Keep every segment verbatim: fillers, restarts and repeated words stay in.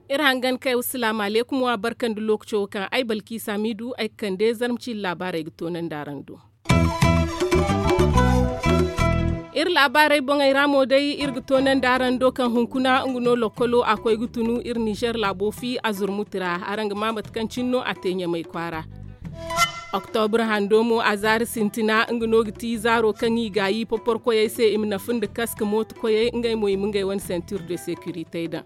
Iri hangan kay wa salaamu alaykum wa barka nda lookaco kaŋ ay balki saamiidu ay ga kande zarma ciiri laabaarey ga toonandi araŋ do. Iri laabaarey boŋey ra mo day iri ga toonandi araŋ do kaŋ hunkuna nga no lokkolo a koy ga tunu iri nizer laabo fi a zurmuti ra. Araŋ ga maa mate kaŋ cine no a te ɲamay kwaara. Oktobra hando mo a zaari sintina nga no ga ti zaaro kaŋ i gaayi poporkoyey se i ma nafa nda kaska mooto koyey ngey mo i ma ngey wane sentir de sekirite daŋ.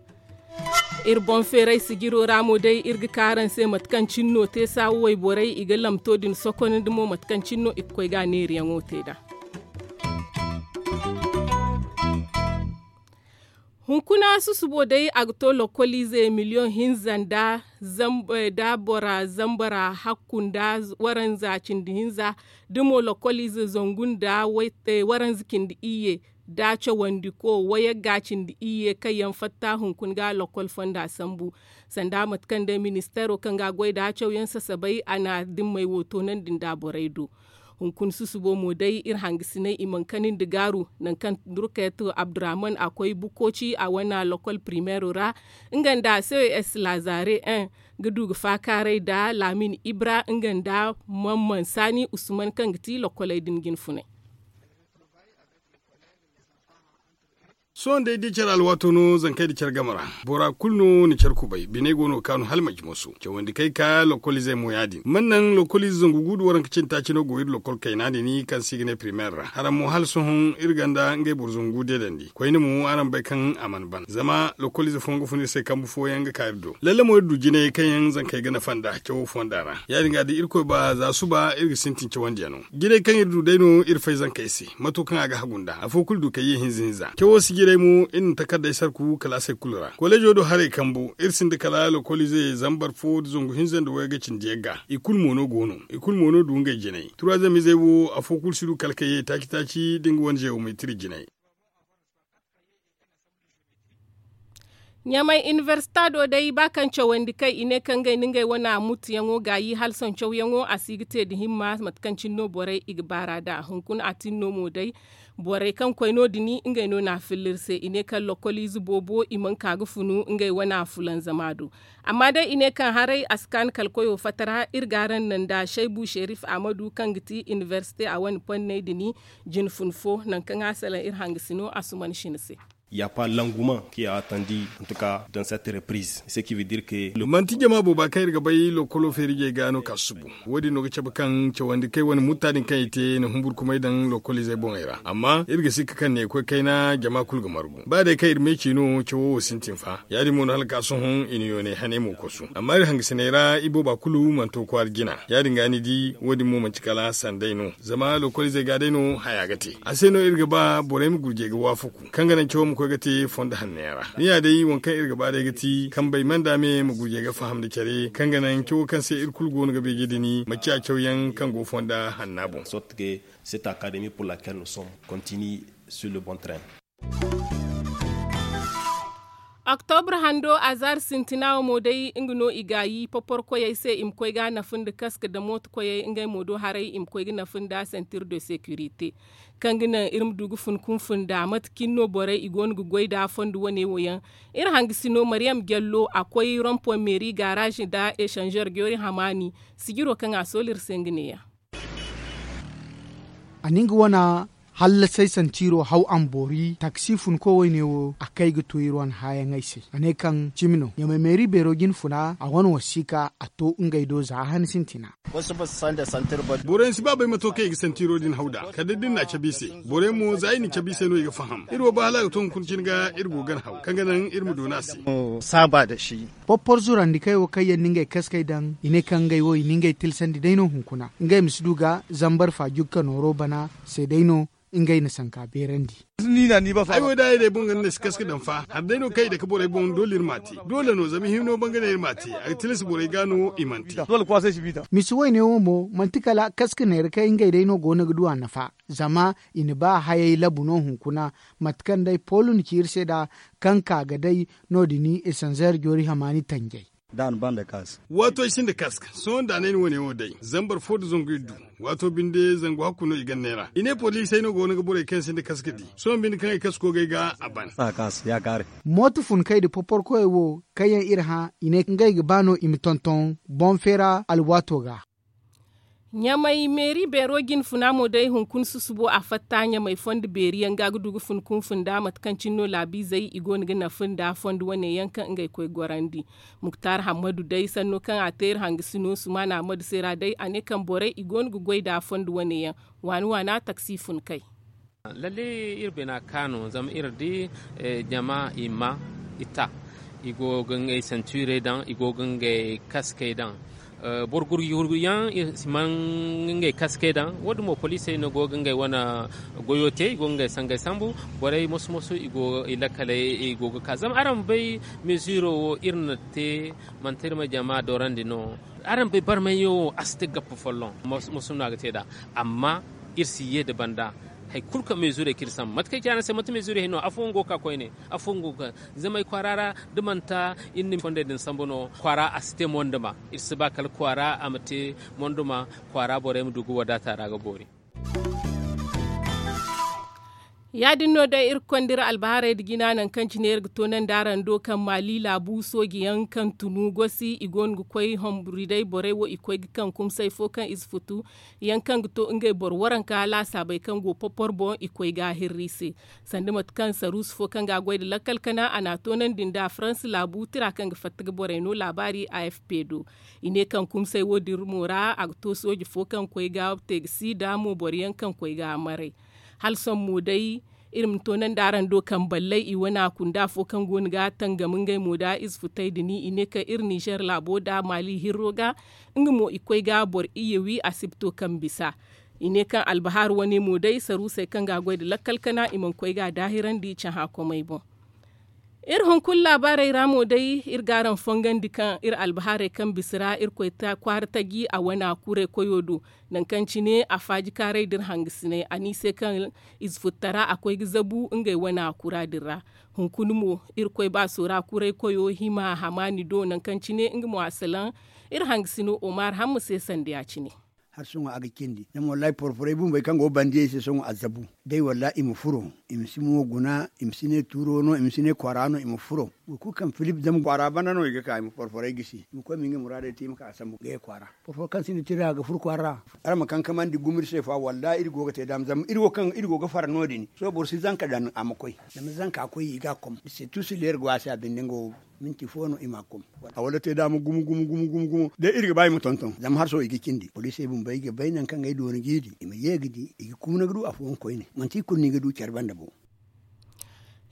Iri boŋ feeray sijiro ra mo day iri ga ka araŋ se mate kaŋ cine no te saawa wayborey i ga lamto din sokonandi mo mate kaŋ cine no i ga koy ga a neeriyaŋo te nd'a. Hunkuna susubo day a ga to lokkoliize miliyoŋ hinza nda bora zambara hakku nda waranza cindi hinza da mo lokkoliize zangu nda waranza cindi iyye da cawandiko wayagga cindi iyye kaŋ yaŋ fatta hunkuna ga lokkol fonda sambu. Sanda mate kaŋ day ministeero kaŋ ga a goy da cawyaŋ sasabay a na dimmey wo toonandi nda borey do. Hunkuna susubo mo day iri hangasinay i mana kani nda gaaru nangu kaŋ durkayat abdurahman a koy bukkoci a wane lokkol primeero ra nga nda ces lazare ga du ga faakaaray nda laamin ibra nga nda man mansaani usman kaŋ ga ti lokkoley din jinfunay. Sohõ day da care alwaato no zankey da care game ra bora kulu no na care kubay biney go no ga kaanu hala manci moso cawandi kaŋ ay ka lokoliizey mo ya- din man naŋ lokoliize zangu gu nda waranka cindi taaci no go iri lokol kayna din kaŋ se i ga ne primeer ra haraŋ mo hala sohõ iri gonda ngey boro zangu deedandi koyne mo araŋ bay kaŋ a mana ban zama lokoliize fooyaŋ ga fun iri se kambe fooyaŋ ga ka iri do lalle mo iri du jinay kaŋ yaŋ zankey ga nafa nd'a cawo fonda ra ya- din ga da irkoy ba za suba iri ga sintin cawandi yaŋo. Jirey kaŋ iri du day no iri fay zankey se mato kaŋ a ga hagu nd'a afo kulu du kay ye hinza hinza cawo si jirey mo iri na takardey sarku kalaasey kulu ra koleezo do haray kambu iri sinda kala lokoliize zambar fo nda zangu hinza nda wayga cindi yagga i kulu mo no go no i kulu mo no du ngey jinay turaazam izey wo afo kulu si du kala kay ye taaci taaci da nga wane zeewometiri jinay. Ɲamay inibersita do day ba kaŋ cawandi kay i ne kaŋ ngey na ngey wane mutuyaŋo gaayi hala sohõ cawyaŋo a si ga te nda himma mate kaŋ cine no borey i ga baar'a nd'a hunkuna a tin no mo day. Borey kaŋ koy no- din ngey no n'a filla iri se i ne kaŋ lokoliize boobo i mana ka ga funu ngey wane fulanzama do. Amma day i ne kaŋ haray a si kaanu kala koyo fatara iri ga araŋ naŋ nda shaybu sherif ahmadu kaŋ ga ti inibersite a wane ponney din jine fun fo nangu kaŋ a salaŋ iri hangasino a suman shine se. Ya pa languman ki a tandi en tout cas dans cette reprise ce qui veut dire que manti jama booba kaŋ iri ga bay lokolo feerijey ga no ka susubu. Wo- din no ga cabe kaŋ cawandi kay wane mutta din kaŋ i te na humburkumay daŋ lokoliizey boŋey ra amma iri ga sikka kaŋ ne koy kayna jama kulu ga margu ba day kaŋ iri meeci no cawo wo sintin fa ya- din mo no hala ka sohõ i na yoonay haney mo kosu amma iri hangasiney ra ibooba kulu mana to kwaara jina ya- din ga ni di wo- din mo manti kala sanday no zama lokoliizey ga day no haya ga te a se no iri ga ba borey ma gurjey ga waafaku kaŋ ga naŋ cawo ma koy ga te fondo hanno yaŋ ra ni ya day waŋ kaŋ iri ga ba day ga ti kambey manda me ma gurjey ga faham nda care kaŋ ga naŋ cawo kaŋ se iri kulu go no ga beeje din ma ciya cawyaŋ kaŋ go fonda hanna boŋ. Cette académie pour laquelle nous sommes continue sur le bon train. Oktobra hando a zaari sintina wo mo day nga no i gaayi poporkoyey se i ma koy ga nafa nda kaska nda mooto koyey ngey mo do haray i ma koy ga nafa nda sentir de securité kaŋ ga naŋ iri ma du ga fun kunfun nda mate cine no borey i go no ga goy nda fondo wane wo yaŋ. Iri hangasino mariyam jallo a koy rompoy meeri gaaraaz nda esanzer joori hamaani sijiro kaŋ a soolu iri se nga neeya. A na nga wane hallasay santiiro haw a ma boori taksi funko wayne wo a kay ga to iri wane haayaŋey se a ne kaŋ cimi no ɲamay meeri beero jine funa a wane wasiika a to ngey do za a han sintina. Borey yaŋ si ba bay mato kaŋ i ga santiiro din haw nd'a kala da iri n'a cabe i se. Borey yaŋ mo za i na cabe i se no i ga faham iri wo ba hala a ga to hunkuna cine ga iri go gana haw kaŋ ga naŋ iri ma doona a se. Saaba nda shi. Porpor zurandi kay wo kaŋ yaŋ na ngey kaskey daŋ i ne kaŋ ngey wo i na ngey tilsandi day no hunkuna ngey ma si du ga zambar faajugka nooro bana se day no ngey na sanka beerandi. Ay wo da ay day boŋ ga ni na si kaska daŋ fa hari day no kaŋ i dake borey boŋ doole iri m'a te. Doole no zama hino bangane iri m'a te a ga tilas borey ga no i mana te. Misi wayne wo mo manti kala kaska neera kaŋ ngey day no go no ga du a nafa zama i na ba hayey labu no hunkuna. Mate kaŋ day polo na ci iri se nd'a kaŋ ka ga day no- din esanzer joori hamaani tanjay. Da a na banda kaas. Waato ay sinda kaska sohõ da a ne ay na wane wo day zambar fo nda zangu iddu. Waato binde zangu hakku no i ganney ra i ne poliisey no go no ga borey kaŋ sinda kaska di sohõ binde kaŋ ay kaska go ga ay ga a ban. Mooto funkey nda poporkoyey wo kaŋ yaŋ iri hã i ne ngey ga ba no i ma tonton boŋ feera alwaato ga. Ɲamay meeri beero jinfuna mo day hunkuna susubo a fatta ɲamay fondo beeri yaŋ ga ga du ga fun kunfun da mate kaŋ cine no laabiizey i go no ga nafa nda fondo wane yaŋ kaŋ ngey koy gorandi. Muktar hammadu day sanno kaŋ a te iri hangasino sumaana hammadu se ra day a ne kaŋ borey i go no ga goy nda fondo wane yaŋ waani waana taksi funkey. Lalle iri bina ka no zama iri di jama i ma i ta i go ga ngey santuurey daŋ i go ga ngey kaskey daŋ. Boro gurgu gurgu yaŋ i si man ngey kaskey daŋ wo- din mo poliisey no go ga ngey wane goyo te i go ga ngey sangey sambu. Borey moso moso i go i lakkaley i go ga ka zama araŋ ma bay meziiro wo iri na te manti iri ma jama dorandi no. Araŋ bay barmay yaŋ wo a si te gappa folloŋ. Moso no a ga te nd'a amma iri si ye nda banda. Hari kulu kaŋ meziirey kaŋ iri sambu mate kaŋ ay ci araŋ se manti meziirey hari no afooyaŋ go ga ka koyne. Afooyaŋ go ga ka zama ay kwaara ra da manti iri na fondey din sambu no kwaara a si te monduma. Iri si ba kala kwaara a ma te monduma kwaara borey ma du ga wadaata ra ga boori. Ya- din no day iri ga konda iri albaharey nda jina nangu kaŋ cine iri ga toonandi araŋ do kaŋ maali laabu sooji yaŋ kaŋ tunu gosi i go no ga koy homburi day borey wo i koy ga kaŋ kumsay fo kaŋ i si futu yaŋ kaŋ ga to ngey boro waranka laasaabey kaŋ go popor boŋ i koy ga a hirri se. Sanda mate kaŋ saruusu fo kaŋ ga a goy nda lakkal kana a n'a toonandi nda faransa laabu tira kaŋ ga fatta ga borey no laabaari a f p do. I ne kaŋ kumsay wo- din mo ra a ga to sooji fo kaŋ koy ga te ga si nda mo boro yaŋ kaŋ koy ga a maray. Hala sohõ mo day iri ma toonandi araŋ do kaŋ ballay i wane a kunda afo kaŋ go no ga tangam ngey mo nda ize futay din i ne kaŋ iri nizer laabo nda maali hirro ga. Nga mo i koy ga boro iyye wi asibto kaŋ bisa. I ne kaŋ albahar wane mo day saruusey kaŋ ga a goy nda lakkal kana i mana koy ga a daahirandi cahã komey boŋ. Iri hunkuna laabaarey ra mo day iri ga araŋ fongandi kaŋ iri albahaarey kaŋ bisa ra iri koy kwaara taji a wane a kuray koyo do. Nangu kaŋ cine a faaji kaaray da iri hangasinay a ne i se kaŋ ize futtara a koy ga zabu ngey wane a kura din ra. Hunkuna mo iri koy baaso ra kuray koyo hima hamaani do nangu kaŋ cine nga mo a salaŋ iri hangasino omar hamma se sanda ya- cine. Hala sohõ a ga cindi zama wallahi porporey bumbey kaŋ go ga bandi yaŋ i se sohõ a zabu. Day wallahi i ma furo i ma si mo guna i ma si ne tuuro no i ma si ne kwaara no i ma furo. Boro kulu kaŋ filip zama kwaara banda no i ga ka i ma porporey gisi i ma koy ma ngey muraadey te i ma ka sambu ga ye kwaara. Porporo kaŋ sinda tira ga furo kwaara ra. Araŋ ma kankamandi gumo iri se fa wallahi iri go ga te daama zama iri wo kaŋ iri go ga fara no- din sohõ boro si zanka daŋ a ma koy. Zama zanka koy i ga a kom da se tuusi leera go a se a binde nga wo. Minti fo no i ma a kom. A wala te daama gumo gumo gumo gumo gumo day iri ga ba i ma tonton zama hala sohõ i ga cindi poliisey bumbo ay ga bay nangu kaŋ ay doona jiiri i ma ye ga di i ga kuuna ga du afooyaŋ koyne. Manti i kulu no i ga du care banda bo.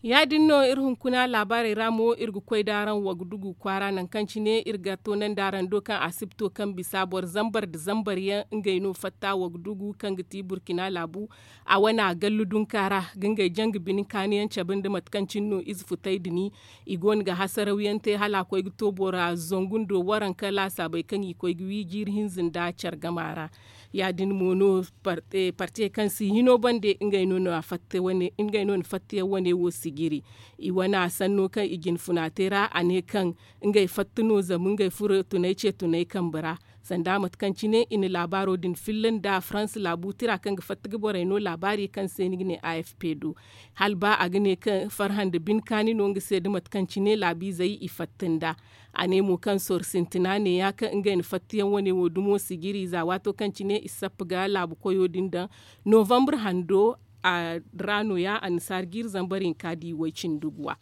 Ya- din no iri hunkuna laabaarey ra mo iri ga koy da araŋ wagdugu kwaara nangu kaŋ cine iri ga toonandi araŋ do kaŋ asibto kaŋ bisa boro zambar nda zambar yaŋ ngey no fatta wagdugu kaŋ ga ti burkina laabu. A wane a gallu dunka ra ga ngey janga bine kaani yaŋ cabe nda mate kaŋ cine no ize futay din. I go no ga hasaraw yaŋ te hala a koy ga to bora zangu ndo waranka laasaabey kaŋ i koy ga wi jiiri hinza nda care gama ra. Ya- din mo no partiyey kaŋ si hino bande ngey no na fatta yaŋ wane wo sijiri. I wane a sanno kaŋ i jinfuna te ra a ne kaŋ ngey fatta no zama ngey furo tunay ce tunay kambe ra. Sanda mate kaŋ cine i na laabaaro din filla nda faransa laabu tira kaŋ ga fatta ga borey no laabaari kaŋ se ni ga ne a f p do. Hala ba a ga ne kaŋ farhã nda bine kaani no nga se da mate kaŋ cine laabiizey i fatta nda. A ne mo kaŋ soro sintina neeya kaŋ ngey na fattayaŋ wane wo dumo sijiri za waato kaŋ cine i sappa ga laabu koyo din daŋ novambre hando ra nooya annasaara jiiri zambar hinka di way-cindi guwa.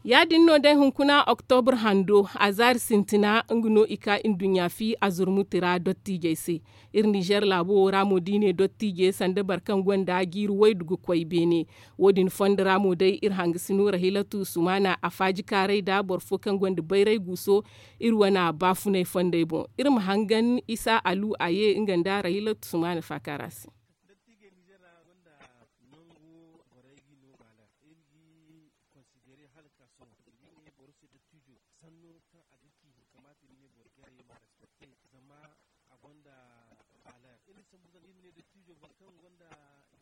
Ya- din no day hunkuna oktobre hando azaari sintina nga no i ka nduɲɲa fi azurmuti ra dottiijey se. Iri nizer laabo wo ra mo da i ne dottiije sanda boro kaŋ gonda jiiri waydu ga koy beene. Wo- din fondo ra mo day iri hangasino rahilatu sumana a faaji kaaray nda boro fo kaŋ gonda bayray guuso. Iri wane baafunay fondey boŋ iri ma hangan isa alu a ye nga nda rahilatu sumana faakaara se. Konsidere hala ka sohõ iri ga ne boro se dottijo sanno kaŋ a ga ci kamaata iri ne boro jarey ma respekte zama a gonda valer iri sambu zama iri ne dottijo boro kaŋ gonda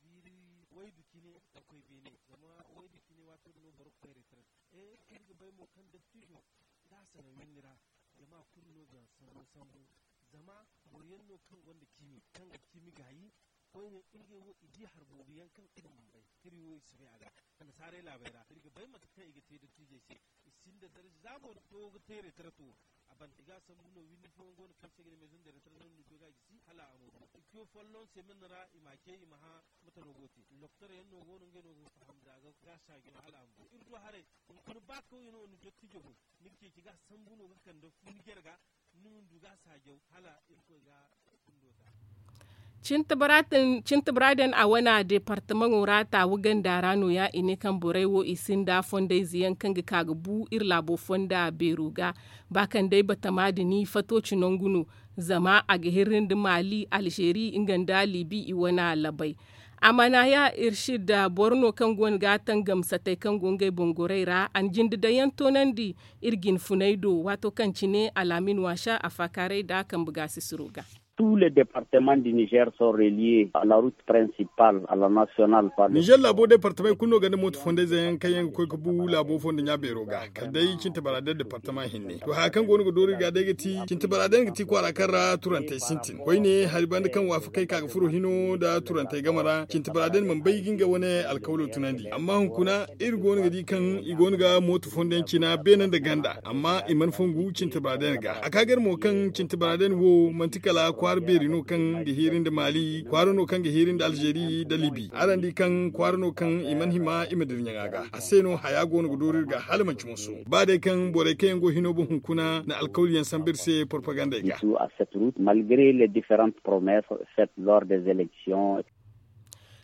jiiri Waydu cine ga koy beene zama waydu cine waato din no boro ga koy retraite. Iri ga bay mo kaŋ dattijo da a salaŋ windi ra jama kulu no ga sambu sambu. Zama boro yaŋ no kaŋ gonda ciimi kaŋ ga ciimi gaayi koyne ngey wo i di hari boobo yaŋ kaŋ iri mana bay. Iri wo i si bay a ga annasaarey laabey ra iri ga bay mate kaŋ i ga te dattiijey se. I sinda darza za boro fo ga te retraite wo a banda i ga a sambu no windi fooyaŋ go no kaŋ se ga ne maison de retraite no ni go ga a gisi hala a ma du i koy folloŋ semen ra i ma a ce i ma hã. Mate no go te doktor yaŋ no go no ngey no go ga faham da ga ga saajo hala a ma du iri du haray. Hunkuna ba kawye no ni dottijo boŋ ni ga ceeci ga sambu no ga kande fu ni jarga ni ma du ga saajo hala irkoy ga. Cintabaraden a wana departamaŋo ra taawu ganda ra no ya i ne kaŋ borey wo i sinda fondayze yaŋ kaŋ ga ka ga bu iri laabo fonda beero ga. Ba kaŋ day batama din fato ci nangu no zama a ga hirri nda mali alzeeri nga nda libi i wana labay. A mana ya irsid boro no kaŋ go no ga a tangam satey kaŋ go ngey boŋ gorey ra a na jinde daŋ yaŋ toonandi iri jinfuney do waato kaŋ cine alaamin waasa a faakaaray nda kambe gaasisiro ga. Tous les départements du niger sont reliés à la route principale à la nationale par le niger laabo departamey kulu no gonda mooto fondayze yaŋ kaŋ yaŋ ga koy ga bu laabo fondo ɲa beero ga kala day cintabaraden departama hinne to haya kaŋ go no ga doori ga day ga ti cintabaraden ga ti kwaara kaŋ ra turantey sintin koyne hari banda kaŋ waafakey ka ga furo hino nda turantey game ra cintabaraden mana bay ga nga wane alkawlo tunandi amma hunkuna iri go no ga di kaŋ i go no ga mooto fondo yaŋ cina beene nda ganda amma i mana fongu cintabaraden ga a ka ga iri mo kaŋ cintabaraden wo manti kala kwaara beeri no kaŋ ga hiiri nda mali kwaara no kaŋ ga hiiri nda alzeeri nda libi araŋ di kaŋ kwaara no kaŋ i mana hima i ma dira ɲaŋa ga a se no haya go no ga doori iri ga hala manci moso ba day kaŋ borey kaŋ yaŋ go hino boŋ hunkuna na alkawli yaŋ sambu iri se porpagandey ga. Malgre les differentes promesses faites lors des élections.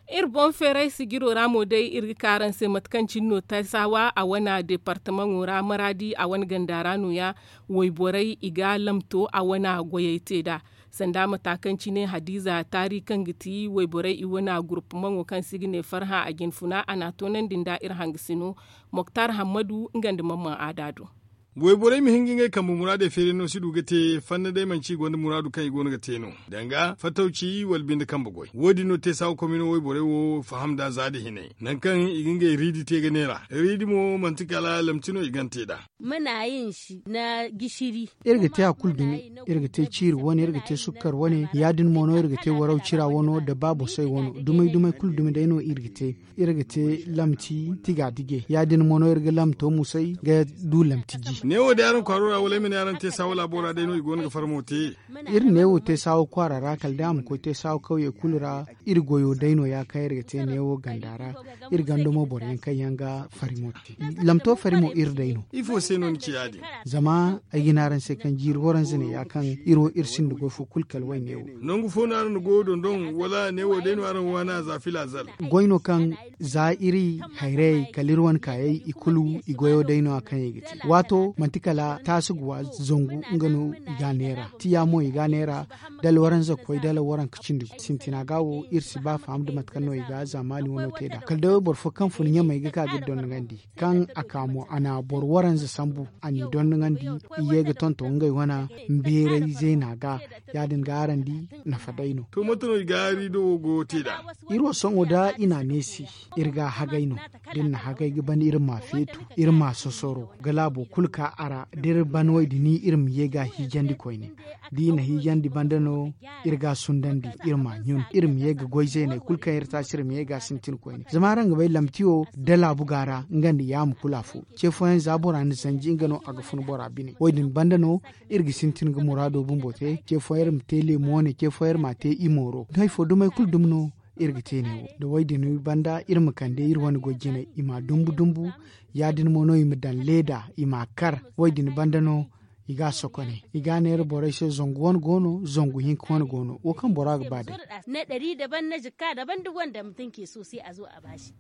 Iri boŋ feeray sijiro ra mo day iri ga ka araŋ se mate kaŋ cine no taysaawa a wane departamaŋo ra maraadi a wane ganda ra no- ya wayborey i ga lamto a wane goyey te nd'a. Sanda mata kaŋ cine hadiiza taari kaŋ ga ti wayborey i wane gurupamaŋo kaŋ se i ga ne farhã a jinfuna a n'a toonandi nda iri hangasino moktar hammadu nga nda mamman aada do. Wayborey ma hin ga ngey kambe muraadey feeri no si du ga te fanna day manci i gonda muraadu kaŋ i go no ga te no danga fatawci wala binde kambe goy wo- din no te saawa komino wayborey wo faham nd'a za nda hinay nangu kaŋ i ga ngey riidi te ga neera riidi mo manti kala lamti no i gana te nd'a. Mana yin si na gishiri. Iri ga te hari kulu dumi. Iri ga te ciiri wane iri ga te sukkar wane ya- din mo no iri ga te waraw cira wano nda baabosey wano dumey dumey kulu dumi day no iri ga te. Iri ga te lamti tiga dige ya- din mo no iri ga lamto musay ga du lamti ji. Neewo day araŋ kwaaro ra wala ay ma ne araŋ te saawa laabo ra day no i go no ga farmo te. Iri neewo te saawa kwaara ra kala day a ma koy te saawa kawye kulu ra. Iri goyo day no- ya kaŋ iri ga te neewo ganda ra. Iri ganda mo boro yaŋ kaŋ yaŋ ga farimo te. Lamto farimo iri day no. Ifo se no ni ci ya- din? Zama ay ga ne araŋ se kaŋ jiiri waranza ne- ya kaŋ iri wo iri sinda goy fo kulu kala wayne wo. Nangu fo no araŋ na goyo dondon wala neewo day no araŋ waana za filazal? Goy no kaŋ za iri hayrayey kala iri wane kaayey i kulu i goyo day no- ya kaŋ i ga te waato manti kala taasi guwa zangu nga no i ga a neera tiya mo i ga a neera. Dala waranza ga koy dala waranka cindi sintina ga wo iri si ba faham nda mate kaŋ no i ga zaamaani wano te nd'a kala day wayboro fo kaŋ fun ɲamey ga ka ga iri dondonandi. Kaŋ a ka mo a na boro waranza sambu a n'i dondonandi. I ye ga tonton ngey wane beeray zeena ga. Ya- din ga araŋ di nafa day no. To mate no i ga riido wo go te nd'a? Iri wo sohõ da i n'a neesi iri ga hagay no. Da iri na hagay ga ban iri ma feetu iri ma sosoro ga laabo kulu ka a ra da iri ban way- din iri ma ye ga a hiijandi koyne. Da i na hiijandi banda no iri ga a sundandi iri ma a ɲun iri ma ye ga goy zeeney kulu kaŋ iri taasi iri ma ye ga a sintin koyne zama araŋ ga bay lamti wo da laabu ga ra nga nda yaama kulu afo. Ce fooyaŋ za bora na zanji nga no a ga fun bora bine wo- din banda no iri ga sintin ga muraado bumbo te ce fooyaŋ iri ma te leemu wane ce fooyaŋ iri ma a te i mooro da hari fo dumey kulu dumi no. Iri ga te ne wo da wo- din banda iri ma kande iri wane goy jinay i ma a dumbu dumbu. Ya- din mo no i ma daŋ leeda i ma a kar wo- din banda no. I ga a sokone i ga a neera borey se zangu wane go no zangu hinka wane go no wo kaŋ bora ga ba day. Ne ɗari daban na jikka daban da gonda ma tunke so se a zo a baasi.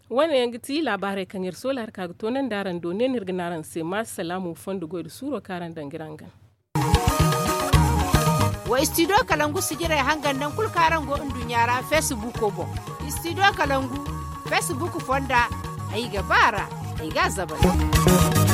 Wane yaŋ ga ti laabaarey kaŋ iri soola hari ka ga toonandi araŋ do ne no iri ga ne araŋ se ma salaamu fondo goy nda suuro kaŋ araŋ daŋ ga iri hangan. Wa istidiyo kalangu sijirey hangan nangu kulu kaŋ araŋ go nduɲɲa ra feesibuuko boŋ. Istidiyo kalangu feesibuuk fonda ay ga ba a ra. Ay ga a zabari.